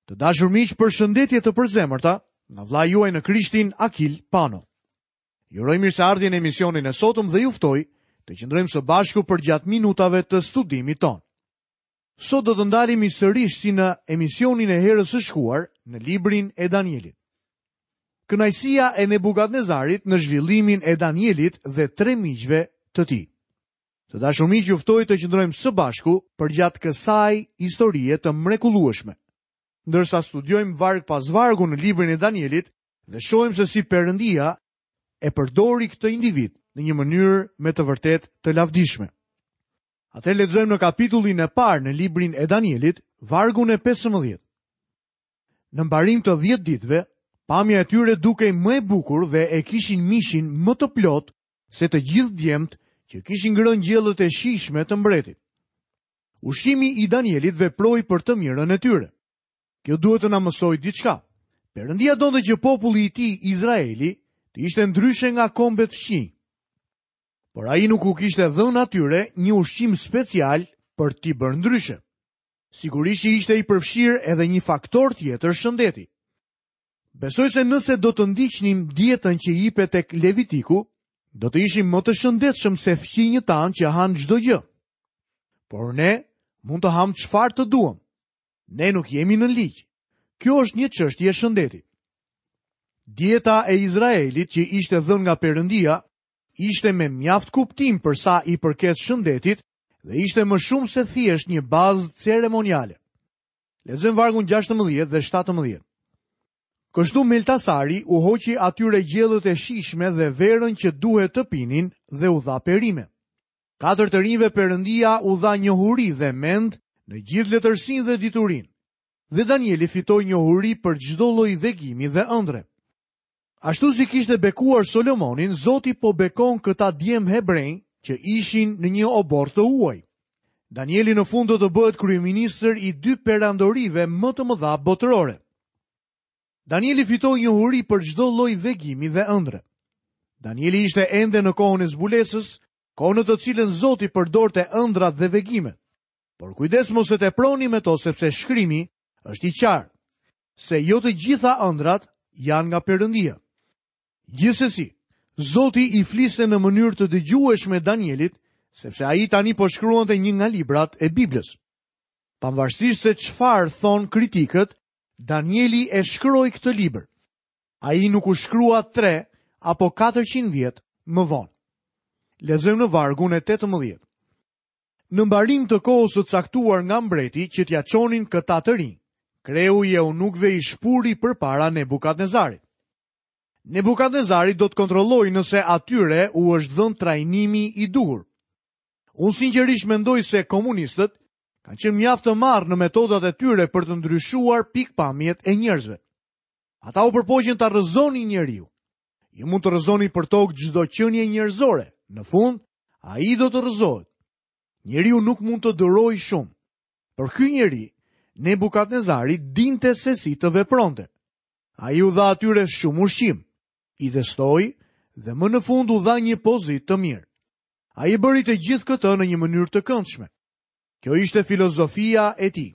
Të dashur miq, përshëndetje të përzemërta nga vëllai juaj në Krishtin Akil Pano. Ju uroj mirëseardhje në emisionin e sotëm dhe ju ftoj të qëndrojmë së bashku përgjatë minutave të studimit tonë. Sot do të ndalemi sërish si në emisionin e herës së shkuar në librin e Danielit. Kënaqësia e Nebukadnezarit në zhvillimin e Danielit dhe tre miqve të tij. Të dashur miq, ju ftoj të qëndrojmë së bashku përgjatë kësaj historie të mrekullueshme. Ndërsa studiojmë varg pas vargu në librin e Danielit dhe shohim se si Perëndia e përdori këtë individ në një mënyrë me të vërtetë të lavdishme. Atëherë lexojmë në kapitullin e parë në librin e Danielit, vargun e 15. Në mbarim të 10 ditëve, pamja e tyre dukej më e bukur dhe e kishin mishin më të plotë se të gjithë djemtë që kishin ngrënë gjellët e shijshme të mbretit. Ushqimi i Danielit veproi për të mirën e tyre. Kjo duhet të na mësojë diçka. Perëndia donte që populli i tij Izraeli të ishte ndryshe nga kombet fqinj. Por ai nuk u kishte dhënë atyre një ushqim special për t'i bërë ndryshe. Sigurisht që ishte i përfshirë edhe një faktor tjetër shëndeti. Besoj se nëse do të ndiqnim dietën që jipet tek Levitiku, do të ishim më të shëndetshëm se fqinjët tanë që hanë çdo gjë. Por ne mund të hamë çfarë të duam. Ne nuk jemi në ligj. Kjo është një çështje shëndeti. Dieta e Izraelit që ishte dhënë nga Perëndia ishte me mjaft kuptim për sa i përket shëndetit dhe ishte më shumë se thjesht një bazë ceremoniale. Lexojmë vargun 16 dhe 17. Kështu Meltasari u hoqi atyre gjellët e shijshme dhe verën që duhet të pinin dhe u dha perime. Katër të rinjve Perëndia u dha njohuri dhe mend në gjithë letërsinë dhe diturinë. Dhe Danieli fitoi njohuri për çdo lloj vegimi dhe ëndrre. Ashtu si kishte bekuar Solomonin, Zoti po bekon këta djem hebrenj që ishin në një oborr të huaj. Danieli në fund do të bëhet kryeministër i dy perandorive më të mëdha botërore. Danieli fitoi njohuri për çdo lloj vegimi dhe ëndrre. Danieli ishte ende në kohën e zbulesës, kohë në të cilën Zoti përdorte ëndrrat dhe vegimet. Por kujdes mos e teproni me to sepse shkrimi është i qartë se jo të gjitha ëndrrat janë nga Perëndia. Gjithsesi, Zoti i fliste në mënyrë të dëgjueshme Danielit, sepse ai tani po shkruante një nga librat e Biblës. Pavarësisht se çfarë thonë kritikët, Danieli e shkroi këtë libër. Ai nuk u shkrua 3 apo 400 vjet më vonë. Lexojmë në vargun e 18. Në mbarim të kohës së caktuar nga mbreti që t'ia çonin këta të rinj, kreu i eunukëve i shpuri përpara Nebukadnezarit. Nebukadnezari do të kontrollojë nëse atyre u është dhënë trajnimi i duhur. Unë sinqerisht mendoj se komunistët kanë qenë mjaft të marrë në metodat e tyre për të ndryshuar pikëpamjet e njerëzve. Ata u përpoqën ta rrëzonin njeriun. Ju mund të rrëzoni përtokë çdo qenie njerëzore. Në fund, ai do të rrëzohet. Njeriu nuk mund të durojë shumë. Por ky njeri, Nebukadnezari, dinte se si të vepronte. Ai u dha atyre shumë ushqim, i testoi dhe më në fund u dha një pozitë të mirë. Ai e bëri të gjithë këtë në një mënyrë të këndshme. Kjo ishte filozofia e tij.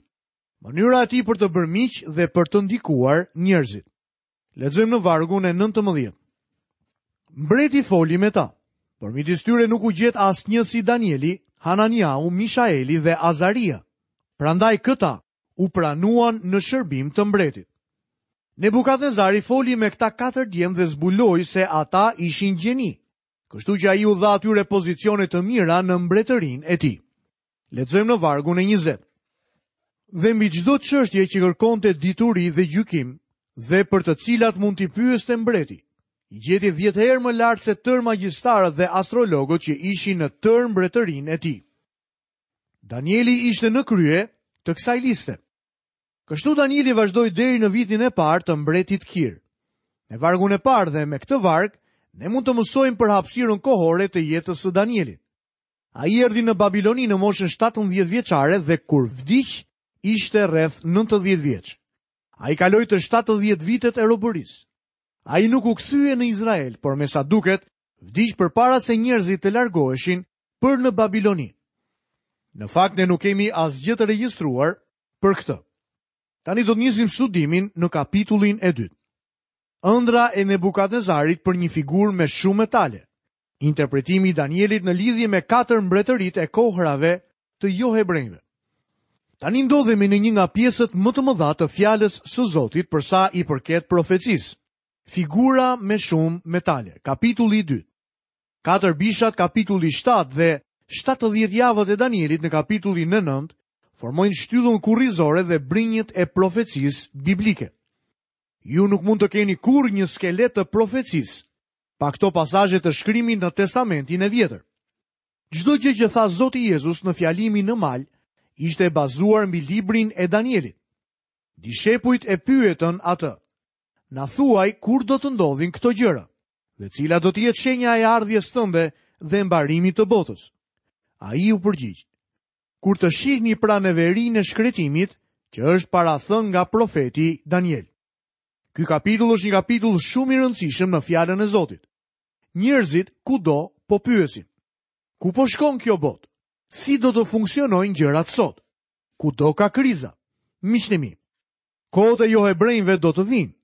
Mënyra e tij për të bërë miq dhe për të ndikuar njerëzit. Lexojmë në vargun e 19. Mbreti foli me ta, por midis tyre nuk u gjet asnjë si Danieli, Hananiau, Mishaeli dhe Azaria. Prandaj këta u pranuan në shërbim të mbretit. Nebukadnezari foli me këta katër djem dhe zbuloi se ata ishin gjeni, kështu që ai u dha atyre pozicione të mira në mbretërinë e tij. Lexojmë në vargun e 20. Dhe mbi çdo çështje që kërkonte dituri dhe gjykim, dhe për të cilat mund t'i pyeste mbreti, i gjeti 10 herë më lart se tërë magjistarët dhe astrologët që ishin në tërë mbretërinë e tij. Danieli ishte në krye të kësaj liste. Kështu Danieli vazhdoi deri në vitin e parë të mbretit Kir. Me vargun e parë dhe me këtë varg, ne mund të mësojmë për hapësirën kohore të jetës së Danielit. Ai erdhi në Babiloni në moshën 17 vjeçare dhe kur vdiq ishte rreth 90 vjeç. Ai kaloi të 70 vitet e robërisë. Ai nuk u kthye në Izrael, por me sa duket, vdiq përpara se njerëzit të largoheshin për në Babiloni. Në fakt ne nuk kemi asgjë të regjistruar për këtë. Tani do të nisim studimin në kapitullin e dytë. Ëndrra e Nebukadnezarit për një figurë me shumë metale. Interpretimi i Danielit në lidhje me katër mbretëritë e kohërave të johebrenjve. Tani ndodhemi në një nga pjesët më të mëdha të fjalës së Zotit për sa i përket profecisë. Figura me shumë metale, kapitulli i dytë. Katër bishat kapitulli 7 dhe 70 javët e Danielit në kapitullin e 9 formojnë shtyllën kurrizore dhe brinjët e profecisë biblike. Ju nuk mund të keni kurrë një skelet të profecisë pa këto pasazhe të shkrimit në Testamentin e Vjetër. Çdo gjë që tha Zoti Jezus në fjalimin në mal ishte e bazuar mbi librin e Danielit. Dishepujt e pyetën atë: Na thuaj kur do të ndodhin këto gjëra dhe cila do të jetë shenja e ardhjes tënde dhe mbarimit të botës? Ai u përgjigj: Kur të shihni pra neverinë e shkretimit, që është parathënë nga profeti Daniel. Ky kapitull është një kapitull shumë i rëndësishëm në fjalën e Zotit. Njerëzit kudo po pyesin. Ku po shkon kjo botë? Si do të funksionojnë gjërat sot? Kudo ka kriza. Miqtë e mi, kohët e johebrenjve do të vijnë.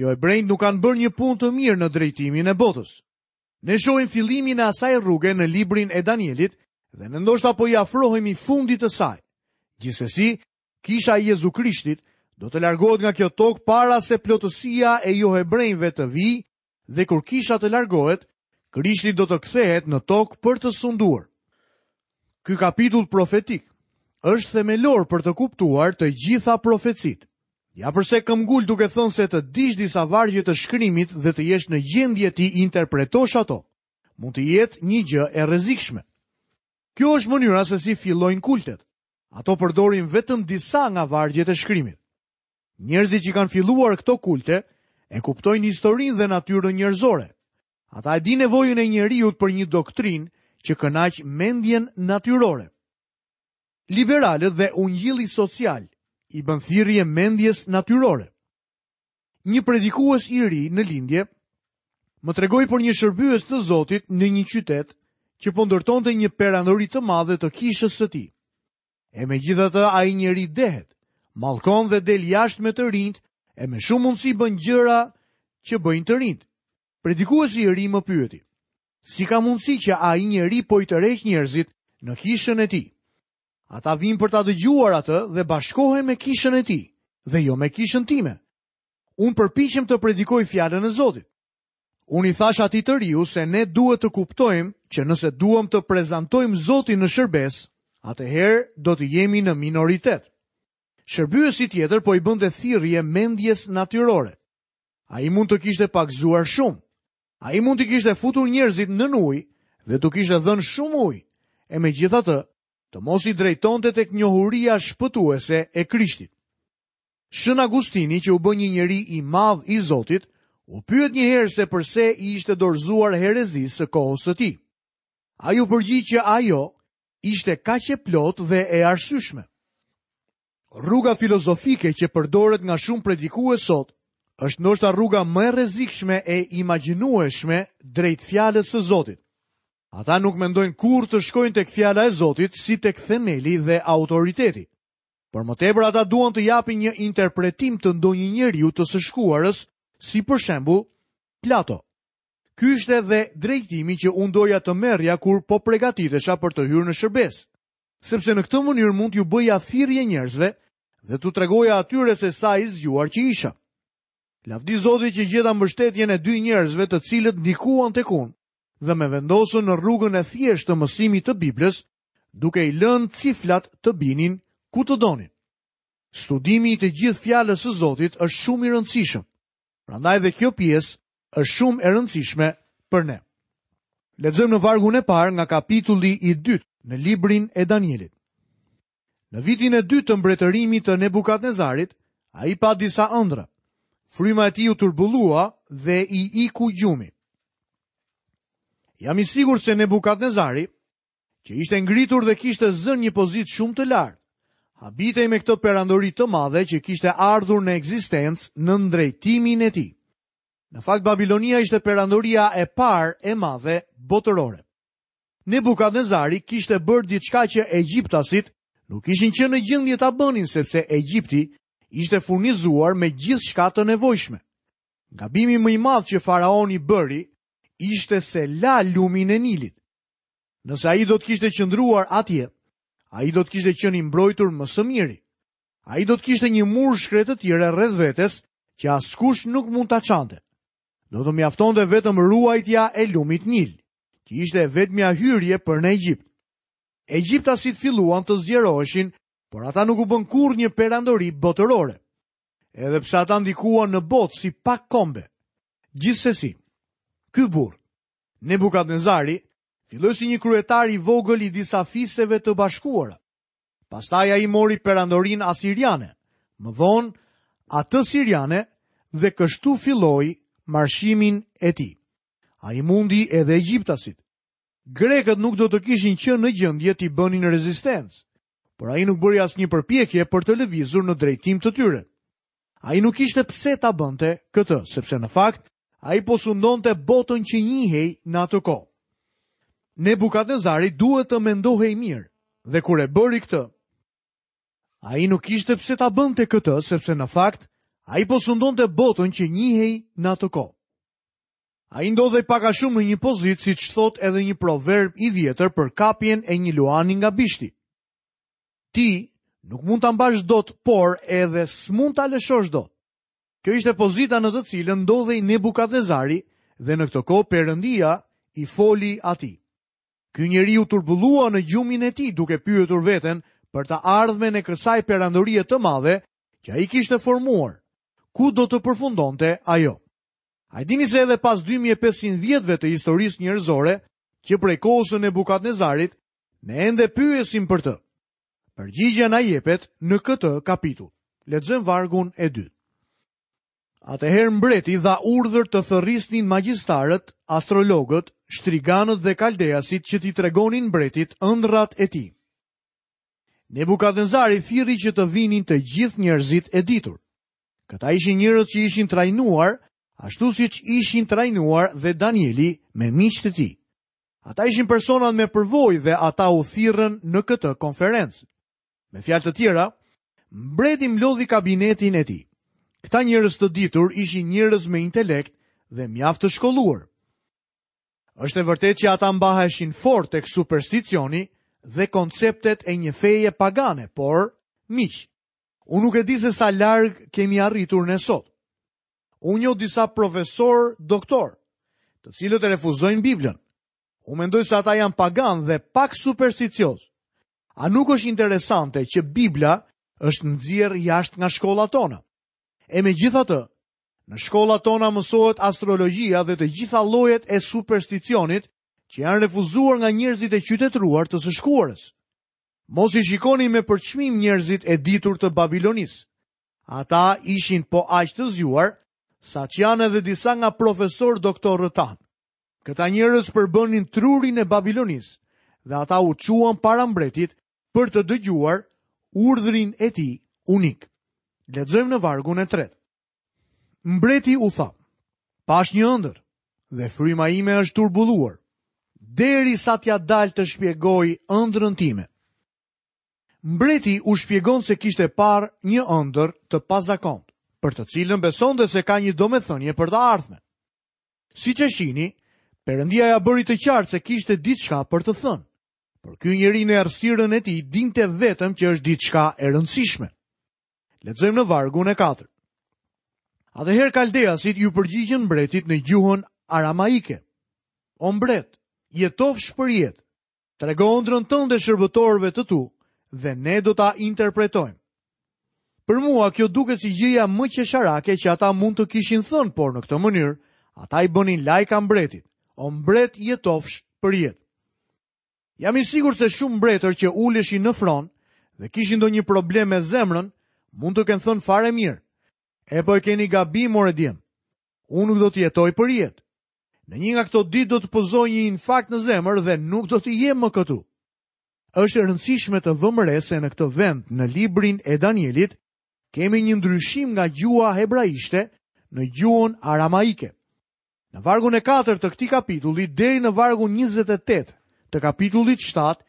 Johebrenjtë nuk kanë bërë një punë të mirë në drejtimin e botës. Ne shohim fillimin e asaj rruge në librin e Danielit dhe ne ndoshta po i afrohemi fundit të saj. Gjithsesi, Kisha e Jezu Krishtit do të largohet nga kjo tokë para se plotësia e johebrenjve të vijë dhe kur kisha të largohet, Krishti do të kthehet në tokë për të sunduar. Ky kapitull profetik është themelor për të kuptuar të gjitha profecitë. Ja përse këmbgul duke thënë se të dish disa vargje të shkrimit dhe të jesh në gjendje t'i interpretosh ato, mund të jetë një gjë e rrezikshme. Kjo është mënyra se si fillojnë kultet. Ato përdorin vetëm disa nga vargjet e shkrimit. Njerëzit që kanë filluar këto kulte e kuptojnë historinë dhe natyrën njerëzore. Ata e dinë nevojën e njeriut për një doktrinë që kënaq mendjen natyrore. Liberalët dhe ungjilli social i bën thirrje mendjes natyrore. Një predikues i ri në lindje më tregoi për një shërbyes të Zotit në një qytet që po ndërtonte një perandori të madhe të kishës së tij. E megjithatë ai njeri dehet, mallkon dhe del jashtë me të rinjtë e me shumë mundësi bën gjëra që bëjnë të rinjtë. Predikuesi i ri më pyeti, si ka mundësi që ai njeri po i tërheq njerëzit në kishën e tij? Ata vijnë për ta dëgjuar atë dhe bashkohen me kishën e tij dhe jo me kishën time. Unë përpiqem të predikoj fjalën e Zotit. Unë i thashë atij të riu se ne duhet të kuptojmë që nëse duam të prezantojmë Zotin në shërbesë, atëherë do të jemi në minoritet. Shërbyesi tjetër po i bënte thirrje mendjes natyrore. Ai mund të kishte pagëzuar shumë. Ai mund t'i kishte futur njerëzit nën ujë dhe t'u kishte dhënë shumë ujë. E megjithatë, të mos i drejtonte tek njohuria shpëtuese e Krishtit. Shën Agustini, që u bë një njeri i madh i Zotit, u pyet një herë se përse i ishte dorëzuar herezisë së kohës së tij. Ai u përgjigj që ajo ishte kaq e plotë dhe e arsyeshme. Rruga filozofike që përdoret nga shumë predikues sot është ndoshta rruga më e rrezikshme e imagjinueshme drejt fjalës së Zotit. Ata nuk mendojnë kurrë të shkojnë tek fjala e Zotit si tek themeli dhe autoriteti. Për më tepër ata duan të japin një interpretim të ndonjë njeriu të së shkuarës, si për shembull Plato. Ky ishte dhe drejtimi që unë doja të merrja kur po pregatitesha për të hyrë në shërbesë, sepse në këtë mënyrë mund t'ju bëja thirrje njerëzve dhe t'u tregoja atyre se sa i zgjuar që isha. Lavdi Zotit që gjeta mbështetjen e dy njerëzve të cilët ndikuan tek unë dhe më vendosën në rrugën e thjeshtë të mësimit të Biblës duke i lënë ciflat të binin ku të donin. Studimi i të gjithë fjalës së Zotit është shumë i rëndësishëm. Prandaj dhe kjo pjesë është shumë e rëndësishme për ne. Lexojmë në vargun e parë nga kapitulli i dytë në librin e Danielit. Në vitin e dytë të mbretërimit të Nebukadnezarit, ai pa disa ëndrra. Fryma e tij u turbullua dhe i iku gjumi. Jam i sigurt se Nebukadnezari që ishte ngritur dhe kishte zënë një pozitë shumë të lartë. Habitej me këtë perandori të madhe që kishte ardhur në ekzistencë nën drejtimin e tij. Në fakt Babilonia ishte perandoria e parë e madhe botërore. Nebukadnezari kishte bërë diçka që egjiptasit nuk ishin qenë në gjendje ta bënin sepse Egjipti Ishte furnizuar me gjithçka të nevojshme. Gabimi më i madh që faraoni bëri ishte se la lumin e Nilit. Nëse ai do të kishte qëndruar atje, ai do të kishte qenë i mbrojtur më së miri. Ai do të kishte një mur shkretëtire rreth vetes që askush nuk mund ta çante. Do të mjaftonte vetëm ruajtja e lumit Nil, që ishte e vetmja hyrje për në Egjipt. Egjiptasit filluan të zgjeroheshin, por ata nuk u bënë kurrë një perandori botërore. Edhe pse ata ndikuan në botë si pak kombe. Gjithsesi, ky burrë, Nebukadnezari, filloi si një kryetar i vogël i disa fiseve të bashkuara. Pastaj ai mori perandorinë asiriane, më vonë atë siriane dhe kështu filloi marshimin e tij. Ai mundi edhe egjiptasit. Grekët nuk do të kishin qenë në gjendje t'i bënin rezistencë, por ai nuk bëri asnjë përpjekje për të lëvizur në drejtim të tyre. Ai nuk kishte pse ta bënte këtë, sepse në fakt ai po sundonte botën që njihej në atë kohë. Nebukadnezari duhet të mendohej mirë, dhe kur e bëri këtë, ai nuk kishte pse ta bënte këtë, sepse në fakt ai po sundonte botën që njihej në atë kohë. Ai ndodhej pak a shumë në një pozitë, siç thotë edhe një proverb i vjetër për kapjen e një luani nga bishti. Ti nuk mund ta mbash dot, por edhe s'mund ta lëshosh dot. Kjo ishte pozita në të cilën ndodhej Nebukadnezari dhe në këtë kohë Perëndia i foli atij. Ky njeri u turbullua në gjumin e tij duke pyetur veten për të ardhmen e kësaj perandorie të madhe që ai kishte formuar. Ku do të përfundonte ajo? A e dini se edhe pas 2500 vjetëve të historisë njerëzore, që prej kohës së Nebukadnezarit, ne ende pyesim për të. Përgjigja na jepet në këtë kapitull. Lexojmë vargun e dytë. Atëherë mbreti dha urdhër të thërrisnin magjistarët, astrologët, shtriganët dhe kaldeasit që t'i tregonin mbretit ëndrrat e tij. Nebukadnezari thirri që të vinin të gjithë njerëzit e ditur. Këta ishin njerëz që ishin trajnuar, ashtu siç ishin trajnuar dhe Danieli me miqtë e tij. Ata ishin personat me përvojë dhe ata u thirrën në këtë konferencë. Me fjalë të tjera, mbreti mblodhi kabinetin e tij. Këta njerëz të ditur ishin njerëz me intelekt dhe mjaft të shkolluar. Është e vërtetë që ata mbaheshin fort tek supersticioni dhe konceptet e një feje pagane, por miq, unë nuk e di se sa larg kemi arritur ne sot. Unë njoh disa profesorë doktorë, të cilët e refuzojnë Biblën. Unë mendoj se ata janë paganë dhe pak supersticiozë. A nuk është interesante që Bibla është nxjerrë jashtë nga shkollat tona? E megjithatë, në shkollat tona mësohet astrologjia dhe të gjitha llojet e supersticionit që janë refuzuar nga njerëzit e qytetëruar të së shkuarës. Mos i shikoni me përçmim njerëzit e ditur të Babilonisë. Ata ishin po aq të zgjuar, sa ç'janë edhe disa nga profesorë doktorët tanë. Këta njerëz përbënin trurin e Babilonisë dhe ata u çuan para mbretit për të dëgjuar urdhrin e tij unik. Lexojmë në vargun e tretë. Mbreti u tha: Pashë një ëndërr dhe fryma ime është turbulluar, derisa t'ia dal të shpjegoj ëndrrën time. Mbreti u shpjegon se kishte parë një ëndërr të pazakontë, për të cilën besonte se ka një domethënie për të ardhmen. Siç e shihni, Perëndia ia bëri të qartë se kishte diçka për të thënë. Por ky njeri në errësirën e tij dinte vetëm që është diçka e rëndësishme. Lexojmë në vargun e 4. Atëherë kaldeasit iu përgjigjën mbretit në gjuhën aramaike. O mbret, jetofsh për jetë. Trego ëndrrën tënde shërbëtorëve të tu dhe ne do ta interpretojmë. Për mua kjo duket si gjëja më qesharake që ata mund të kishin thënë, por në këtë mënyrë ata i bënin lajka mbretit. O mbret jetofsh për jetë. Jam i sigurt se shumë mbretër që uleshin në fron dhe kishin ndonjë problem me zemrën, mund të kenë thënë fare mirë. E po e keni gabim more djem. Unë nuk do të jetoj për jetë. Në një nga këto ditë do të pësoj një infarkt në zemër dhe nuk do të jem më këtu. Është e rëndësishme të vëmë re se në këtë vend në librin e Danielit kemi një ndryshim nga gjuha hebraishte në gjuhën aramaike. Në vargun e 4 të këtij kapitulli deri në vargun 28 të kapitullit 7,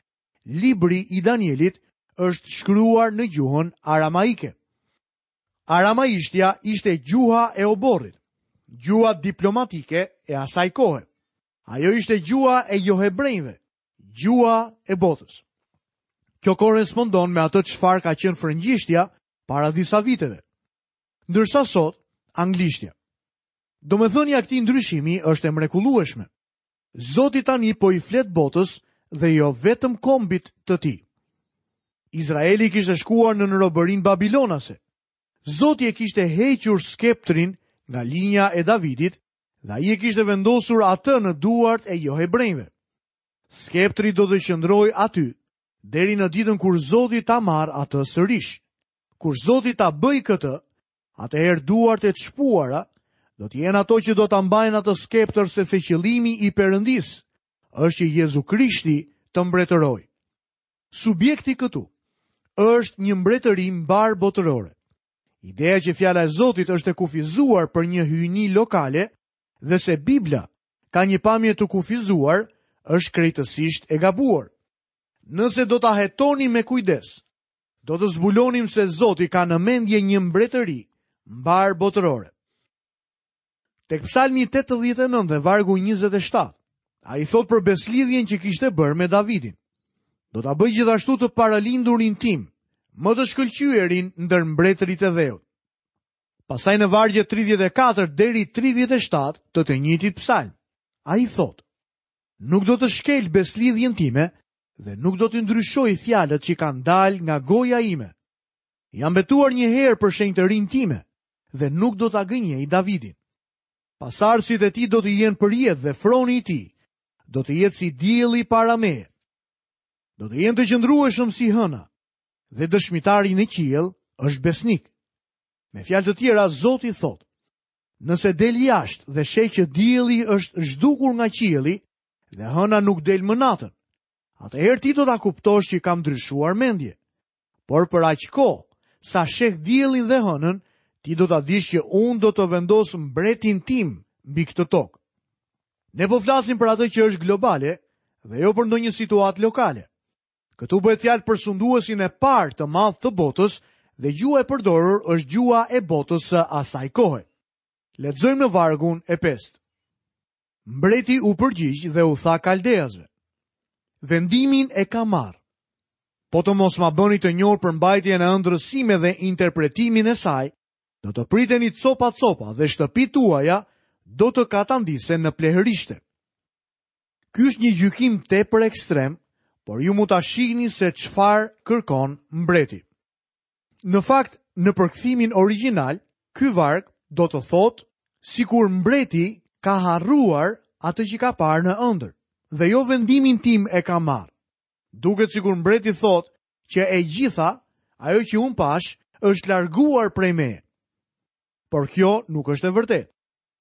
libri i Danielit është shkruar në gjuhën aramaike. Aramaishtja ishte gjuha e oborrit, gjuha diplomatike e asaj kohe. Ajo ishte gjuha e johebrenjve, gjuha e botës. Kjo korrespondon me atë çfarë ka qenë frëngjishtja para disa viteve. Ndërsa sot, anglishtja. Domethënia e këtij ndryshimi është e mrekullueshme. Zoti tani po i flet botës dhe jo vetëm kombit të tij. Izraeli kishte shkuar nën robërinë babilonase. Zoti e kishte hequr skeptrin nga linja e Davidit dhe ai e kishte vendosur atë në duart e johebrenjve. Skeptri do të qëndrojë aty deri në ditën kur Zoti ta marrë atë sërish. Kur Zoti ta bëjë këtë, atëherë duart e çpuara do të jenë ato që do ta mbajnë atë skeptër sepse qëllimi i Perëndisë është që Jezu Krishti të mbretërojë. Subjekti këtu është një mbretëri mbarëbotërore. Ideja që fjala e Zotit është e kufizuar për një hyjni lokale dhe se Bibla ka një pamje të kufizuar është krejtësisht e gabuar. Nëse do ta hetonim me kujdes, do të zbulonim se Zoti ka në mendje një mbretëri mbarëbotërore. Tek Psalmi 89 dhe vargu 27, ai thotë për besëlidhjen që kishte bërë me Davidin. Do ta bëj gjithashtu të parëlindurin tim, më të shkëlqyerin ndër mbretërit e dheut. Pastaj në vargjet 34 deri 37 të të njëjtit psalm, ai thotë: Nuk do të shkel besëlidhjen time dhe nuk do t'i ndryshoj fjalët që kanë dalë nga goja ime. Jam betuar një herë për shenjtërinë time dhe nuk do ta gënjej Davidin. Pasardhësit e tij do të jenë përjetë dhe froni i tij do të jetë si dielli para meje. Do të jenë të qëndrueshëm si hëna dhe dëshmitari në qiell është besnik. Me fjalë të tjera, Zoti thotë, nëse del jashtë dhe sheh që dielli është zhdukur nga qielli dhe hëna nuk del më natën, atëherë ti do ta kuptosh që kam ndryshuar mendje. Por për aq kohë sa sheh diellin dhe hënën, ti do ta dish që unë do të vendos mbretin tim mbi këtë tokë. Ne po flasim për atë që është globale dhe jo për ndonjë situatë lokale. Këtu bëhet fjalë për sunduesin e parë të madh të botës dhe gjuha e përdorur është gjuha e botës së asaj kohe. Lexojmë në vargun e pestë. Mbreti u përgjigj dhe u tha kaldeasve: Vendimin e kam marrë. Po të mos ma bëni të njohur përmbajtjen e ëndrrës sime dhe interpretimin e saj, do të priteni copa-copa dhe shtëpitë tuaja do të katandisen në plehërishte. Ky është një gjykim tepër ekstrem, por ju mund ta shihni se çfarë kërkon mbreti. Në fakt, në përkthimin origjinal, ky varg do të thotë sikur mbreti ka harruar atë që ka parë në ëndërr dhe jo vendimin tim e kam marrë. Duket sikur mbreti thotë që e gjitha ajo që unë pashë është larguar prej meje. Por kjo nuk është e vërtetë.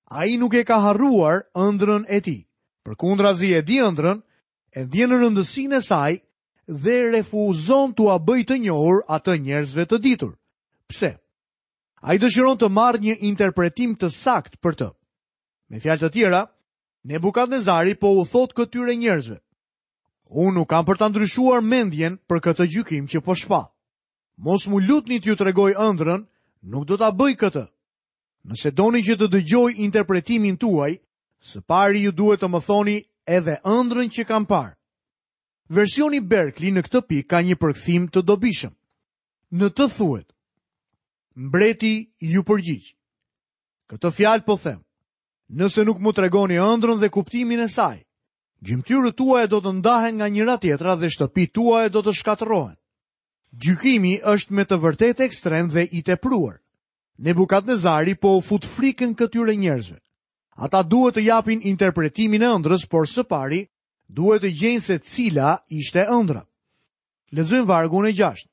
Ai nuk e ka harruar ëndrrën e tij. Përkundrazi e di ëndrrën, e ndjen rëndësinë e saj dhe refuzon t'ua bëjë të njohur atë njerëzve të ditur. Pse? Ai dëshiron të marrë një interpretim të saktë për të. Me fjalë të tjera, Nebukadnezari po u thotë këtyre njerëzve: Unë nuk kam për ta ndryshuar mendjen për këtë gjykim që po shpall. Mos m'u lutni t'ju tregoj ëndrrën, nuk do ta bëj këtë. Nëse doni që të dëgjoj interpretimin tuaj, së pari ju duhet të më thoni edhe ëndrrën që kam parë. Versioni Berkeley në këtë pikë ka një përkthim të dobishëm. Në të thuhet: Mbreti iu përgjigj. Këtë fjalë po them. Nëse nuk më tregoni ëndrrën dhe kuptimin e saj, gjymtyrët tuaja do të ndahen nga njëra-tjetra dhe shtëpitë tuaja do të shkatërrohen. Gjykimi është me të vërtetë ekstrem dhe i tepruar. Nebukadnezari po u fut frikën këtyre njerëzve. Ata duhet të japin interpretimin e ëndrrës, por së pari duhet të gjejnë se cila ishte ëndrra. Lexojmë vargun e 6.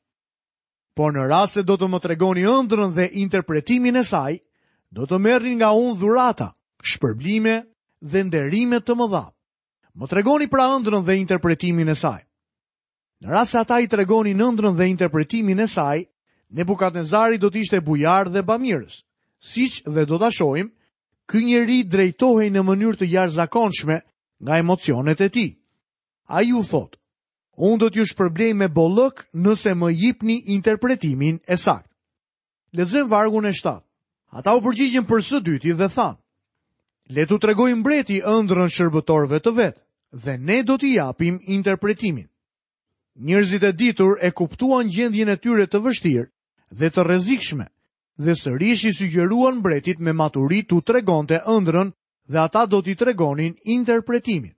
Por në rast se do të më tregoni ëndrrën dhe interpretimin e saj, do të merrni nga unë dhurata, shpërblime dhe nderime të mëdha. Më tregoni pra ëndrrën dhe interpretimin e saj. Në rast se ata i tregonin ëndrrën dhe interpretimin e saj, Nebukadnezari do të ishte bujar dhe bamirës. Siç dhe do ta shohim, ky njeri drejtohej në mënyrë të jashtëzakonshme nga emocionet e tij. Ai u thotë, unë do t'ju shpërblej me bollëk nëse më jipni interpretimin e saktë. Lexojmë vargun e 7. Ata u përgjigjën për së dyti dhe thanë: Le t'u tregojë mbreti ëndrrën shërbëtorëve të vet dhe ne do t'i japim interpretimin. Njerëzit e ditur e kuptuan gjendjen e tyre të vështirë dhe të rrezikshme dhe sërish i sugjeruan mbretit me maturi t'u tregonte ëndrrën dhe ata do t'i tregonin interpretimin.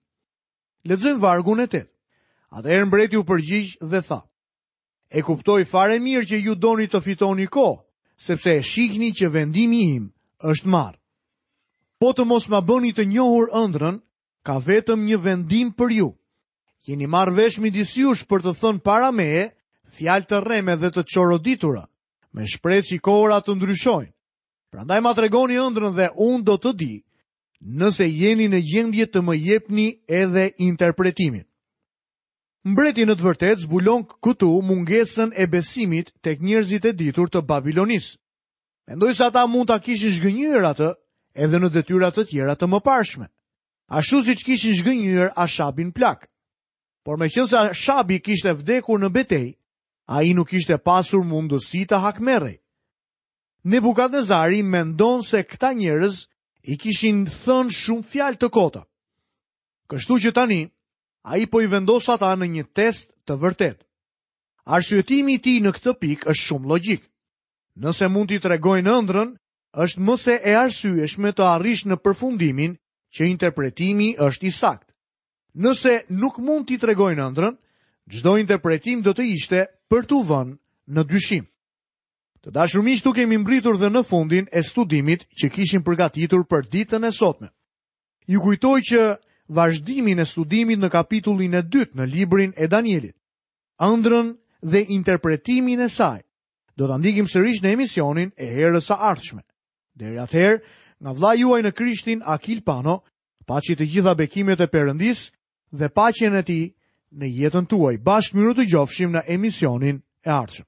Lexojmë vargun e 8. Atëherë mbreti u përgjigj dhe tha: E kuptoj fare mirë që ju doni të fitoni kohë, sepse e shihni që vendimi im është marrë. Po të mos ma bëni të njohur ëndrrën, ka vetëm një vendim për ju. Jeni marrë vesh midis jush për të thënë para meje fjalë të rreme dhe të çoroditura, me shpresë që kohërat të ndryshojnë. Prandaj ma tregoni ëndrrën dhe unë do të di nëse jeni në gjendje të më jepni edhe interpretimin. Mbreti në të vërtetë zbulon këtu mungesën e besimit tek njerëzit e ditur të Babilonisë. Mendoj se ata mund ta kishin zhgënjyer atë edhe në detyra të tjera të mëparshme, ashtu siç kishin zhgënjyer Ashabin plak. Por meqenëse Ashabi kishte vdekur në betejë, ai nuk kishte pasur mundësi të hakmerrej. Nebukadnezari mendon se këta njerëz i kishin thënë shumë fjalë të kota. Kështu që tani, Ai po i vendos ata në një test të vërtetë. Arsyetimi i tij në këtë pikë është shumë logjik. Nëse mund t'i tregojnë ëndrrën, është më se e arsyeshme të arrish në përfundimin që interpretimi është i saktë. Nëse nuk mund t'i tregojnë ëndrrën, çdo interpretim do të ishte për t'u vënë në dyshim. Të dashur miq, këtu kemi mbërritur dhe në fundin e studimit që kishim përgatitur për ditën e sotme. Ju kujtoj që vazhdimin e studimit në kapitullin e dytë në librin e Danielit, ëndrrën dhe interpretimin e saj, do ta ndjekim sërish në emisionin e herës së ardhshme. Deri atëherë, nga vëllai juaj në Krishtin Akil Pano, paçi të gjitha bekimet e Perëndisë dhe paqen e tij në jetën tuaj. Bashkë mirudëgjofshim në emisionin e ardhshëm.